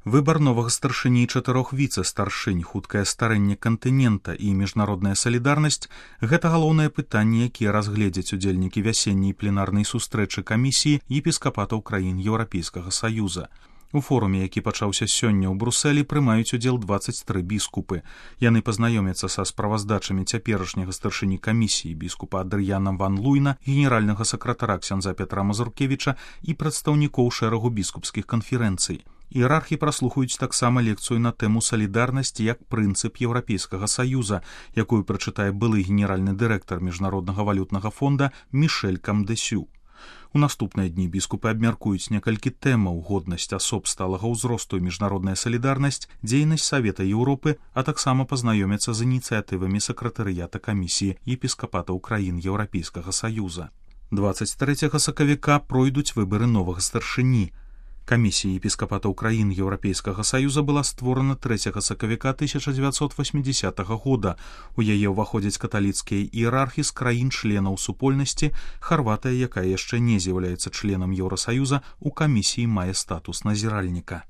Выбар новага старшыні і 4 віцэ-старшынь, хуткае старэнне кантынента і міжнародная салідарнасць – гэта галоўнае пытанне, якія разгледзяць удзельнікі вясенняй пленарнай сустрэчы камісіі епіскапатаў краін Еўрапейскага Саюза. У форуме, які пачаўся сёння ў Брусэлі, прымаюць удзел 23 біскупы. Яны пазнаёмяцца са справаздачамі цяперашняга старшыні камісіі біскупа Адрыяна ван Луйна, генеральнага сакратара ксяндза Пятра Мазуркевіча і прадстаўнікоў шэрагу біскупскіх канферэнцый. Іерархі праслухаюць таксама лекцыю на тэму салідарнасці як прынцып Еўрапейскага Саюза, якую прачытае былы генеральны дырэктар Міжнароднага валютнага фонда Мішэль Камдэсю. У наступныя дні біскупы абмяркуюць некалькі тэмаў: годнасць асоб сталага ўзросту і міжнародная салідарнасць, дзейнасць Савета Еўропы, а таксама пазнаёмяцца з ініцыятывамі сакратарыята камісіі епіскапатаў краін Еўрапейскага Саюза. 23 сакавіка пройдуць выбары новага старшыні. Камісія епіскапатаў краін Еўрапейскага Саюза была створана 3 сакавіка 1980 года. У яе ўваходзяць каталіцкія іерархі з краін-членаў супольнасці. Харватыя, якая яшчэ не з'яўляецца членам Еўрасаюза, у камісіі мае статус назіральніка.